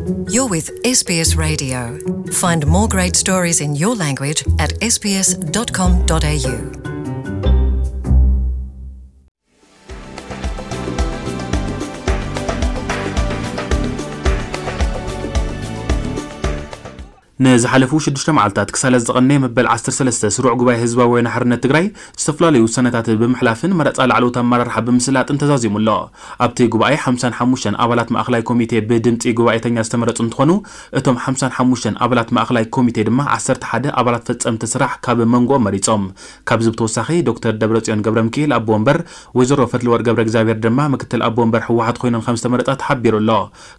You're with S B S Radio. Find more great stories in your language at S B S dot com dot A U. ንዝሓለፉ ሽዱሽተ መዓልታት ክሳለ ዝቐነየ መበል ዓሰርተ ሰለስተ ስሩዕ ጉባኤ ህዝባዊ ወያነ ሓርነት ትግራይ ዝተፈላለዩ ውሳነታት ብምሕላፍን መረፃ ላዕለዎት ኣመራርሓ ብምስላጥን ተዛዚሙ ኣሎ። ኣብቲ ጉባኤ ሓምሳን ሓሙሽተን ኣባላት ማእኸላይ ኮሚቴ ብድምፂ ጉባኤተኛ ዝተመረፁ እንትኾኑ፣ እቶም ሓምሳን ሓሙሽተን ኣባላት ማእኸላይ ኮሚቴ ድማ ዓሰርተ ሓደ ኣባላት ፈፀምቲ ስራሕ ካብ መንጎኦም መሪፆም። ካብዚ ብተወሳኺ ዶክተር ደብረፅዮን ገብረ ሚካኤል ኣቦ ወንበር፣ ወይዘሮ ፈትለወርቅ ገብረ እግዚኣብሔር ድማ ምክትል ኣቦ ወንበር ህወሓት ኮይኖም ከም ዝተመረፃ ተሓቢሩ ኣሎ።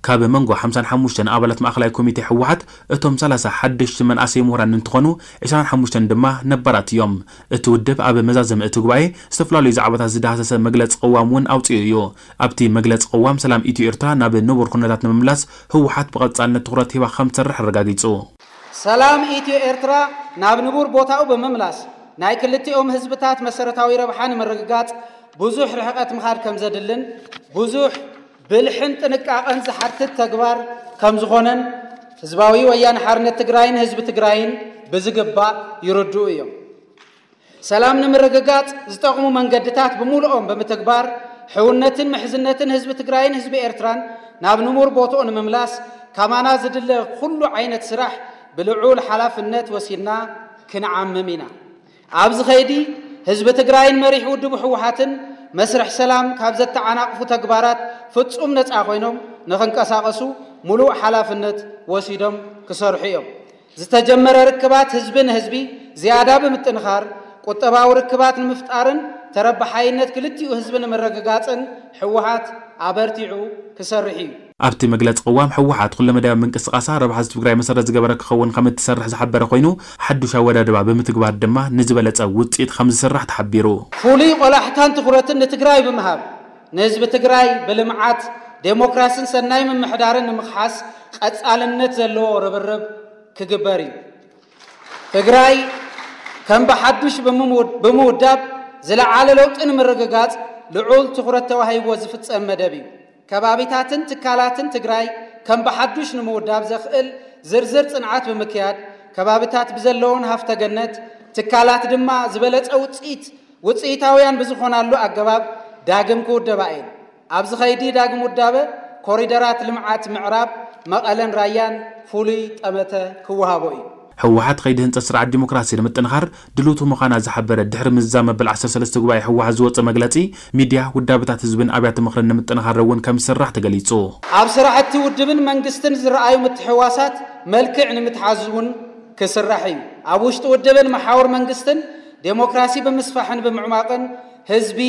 ካብ መንጎ ሓምሳን ሓሙሽተን ኣባላት ማእኸላይ ኮሚቴ ህወሓት እቶም ሰላሳ ሓደሽቲ መናእሰይ ምሁራን እንትኾኑ፣ ዕስራን ሓሙሽተን ድማ ነባራት እዮም። እቲ ውድብ ኣብ መዛዘሚ እቲ ጉባኤ ዝተፈላለዩ ዛዕባታት ዝዳህሰሰ መግለፂ ቅዋም እውን ኣውፂኡ እዩ። ኣብቲ መግለፂ ቅዋም ሰላም ኢትዮ ኤርትራ ናብ ንቡር ኩነታት ንምምላስ ህወሓት ብቐፃልነት ትኹረት ሂባ ከም ትሰርሕ ኣረጋጊፁ። ሰላም ኢትዮ ኤርትራ ናብ ንቡር ቦታኡ ብምምላስ ናይ ክልቲኦም ህዝብታት መሰረታዊ ረብሓ ንምርግጋፅ ብዙሕ ርሕቀት ምኻድ ከም ዘድልን ብዙሕ ብልሕን ጥንቃቐን ዝሓትት ተግባር ከም ዝኾነን ህዝባዊ ወያነ ሓርነት ትግራይን ህዝቢ ትግራይን ብዝግባእ ይርድኡ እዮም። ሰላም ንምርግጋፅ ዝጠቕሙ መንገድታት ብምሉኦም ብምትግባር ሕውነትን ምሕዝነትን ህዝቢ ትግራይን ህዝቢ ኤርትራን ናብ ንቡር ቦትኡ ንምምላስ ካማና ዝድለ ኩሉ ዓይነት ስራሕ ብልዑል ሓላፍነት ወሲድና ክንዓምም ኢና። ኣብዚ ኸይዲ ህዝቢ ትግራይን መሪሕ ውድቡ ህወሓትን መስርሕ ሰላም ካብ ዘተዓናቕፉ ተግባራት ፍጹም ነፃ ኮይኖም ንኽንቀሳቐሱ ሙሉእ ሓላፍነት ወሲዶም ክሰርሑ እዮም። ዝተጀመረ ርክባት ህዝቢ ንህዝቢ ዝያዳ ብምጥንኻር ቁጠባዊ ርክባት ንምፍጣርን ተረባሓይነት ክልቲኡ ህዝቢ ንምርግጋፅን ህወሓት ኣበርቲዑ ክሰርሕ እዩ። ኣብቲ መግለፂ ቅዋም ህወሓት ኩለመዳያዊ ምንቅስቃሳ ረብሓ ህዝቢ ትግራይ መሰረት ዝገበረ ክኸውን ከም እትሰርሕ ዝሓበረ ኮይኑ፣ ሓዱሽ ኣወዳድባ ብምትግባር ድማ ንዝበለፀ ውፅኢት ከም ዝስራሕ ተሓቢሩ። ፍሉይ ቆላሕታን ትኹረትን ንትግራይ ብምሃብ ንህዝቢ ትግራይ ብልምዓት፣ ዴሞክራሲን ሰናይ ምምሕዳርን ንምኽሓስ ቀፃልነት ዘለዎ ርብርብ ክግበር እዩ። ትግራይ ከም ብሓዱሽ ብምውድ- ብምውዳብ ዝለዓለ ለውጢ ንምርግጋፅ ልዑል ትኹረት ተዋሂብዎ ዝፍፀም መደብ እዩ። ከባቢታትን ትካላትን ትግራይ ከም ብሓዱሽ ንምውዳብ ዘኽእል ዝርዝር ፅንዓት ብምክያድ ከባቢታት ብዘለውን ሃፍተ ገነት ትካላት ድማ ዝበለፀ ውፅኢት ውፅኢታውያን ብዝኾናሉ ኣገባብ ዳግም ክውደባ እየን። ኣብዚ ኸይዲ ዳግም ውዳበ ኮሪደራት ልምዓት ምዕራብ መቐለን ራያን ፍሉይ ጠመተ ክወሃቦ እዩ። ህወሓት ኸይዲ ህንፀት ስርዓት ዲሞክራሲ ንምጥንኻር ድልውቲ ምዃና ዝሓበረ ድሕሪ ምዝዛም መበል ዓሰርተ ሰለስተ ጉባኤ ህወሓት ዝወፀ መግለፂ፣ ሚድያ፣ ውዳበታት ህዝብን ኣብያተ ምኽርን ንምጥንኻር እውን ከም ዝስራሕ ተገሊፁ። ኣብ ስራሕቲ ውድብን መንግስትን ዝረኣዩ ምትሕዋሳት መልክዕ ንምትሓዝ እውን ክስራሕ እዩ። ኣብ ውሽጢ ውድብን መሓውር መንግስትን ዴሞክራሲ ብምስፋሕን ብምዕማቕን ህዝቢ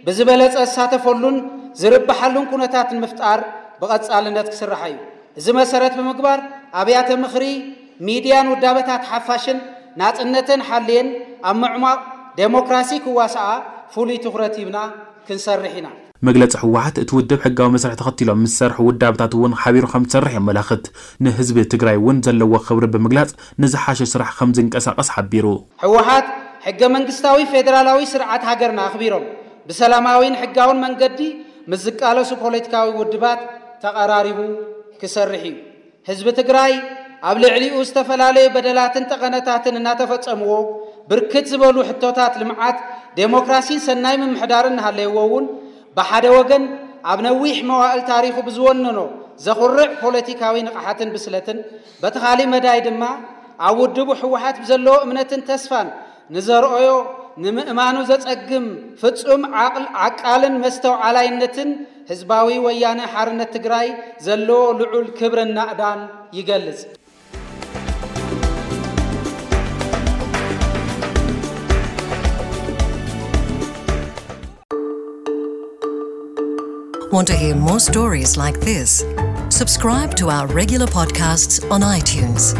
ብዝበለፀ ዝሳተፈሉን ዝርብሓሉን ኩነታት ንምፍጣር ብቐፃልነት ክስራሕ እዩ። እዚ መሰረት ብምግባር ኣብያተ ምኽሪ፣ ሚድያን ውዳበታት ሓፋሽን ናፅነተን ሓልየን ኣብ ምዕማቕ ዴሞክራሲ ክዋስኣ ፍሉይ ትኹረት ሂብና ክንሰርሕ ኢና። መግለፂ ህወሓት እቲ ውድብ ሕጋዊ መስርሕ ተኸቲሎም ምስ ዝሰርሑ ውዳበታት እውን ሓቢሩ ከም ዝሰርሕ የመላኽት። ንህዝቢ ትግራይ እውን ዘለዎ ክብሪ ብምግላፅ ንዝሓሸ ስራሕ ከም ዝንቀሳቐስ ሓቢሩ። ህወሓት ሕገ መንግስታዊ ፌዴራላዊ ስርዓት ሃገርና ኣኽቢሮም ብሰላማዊን ሕጋውን መንገዲ ምስ ዝቃለሱ ፖለቲካዊ ውድባት ተቐራሪቡ ክሰርሕ እዩ። ህዝቢ ትግራይ ኣብ ልዕሊኡ ዝተፈላለዩ በደላትን ጠቐነታትን እናተፈጸምዎ ብርክት ዝበሉ ሕቶታት ልምዓት፣ ዴሞክራሲን ሰናይ ምምሕዳርን እናሃለይዎ እውን ብሓደ ወገን ኣብ ነዊሕ መዋእል ታሪኹ ብዝወነኖ ዘኹርዕ ፖለቲካዊ ንቕሓትን ብስለትን በቲ ካሊእ መዳይ ድማ ኣብ ውድቡ ህወሓት ብዘለዎ እምነትን ተስፋን ንዘርኦዮ ንምእማኑ ዘጸግም ፍጹም ዓቕል ዓቃልን መስተውዓላይነትን ህዝባዊ ወያነ ሓርነት ትግራይ ዘለዎ ልዑል ክብርን ናእዳን ይገልጽ። Want to hear more stories like this? Subscribe to our regular podcasts on iTunes.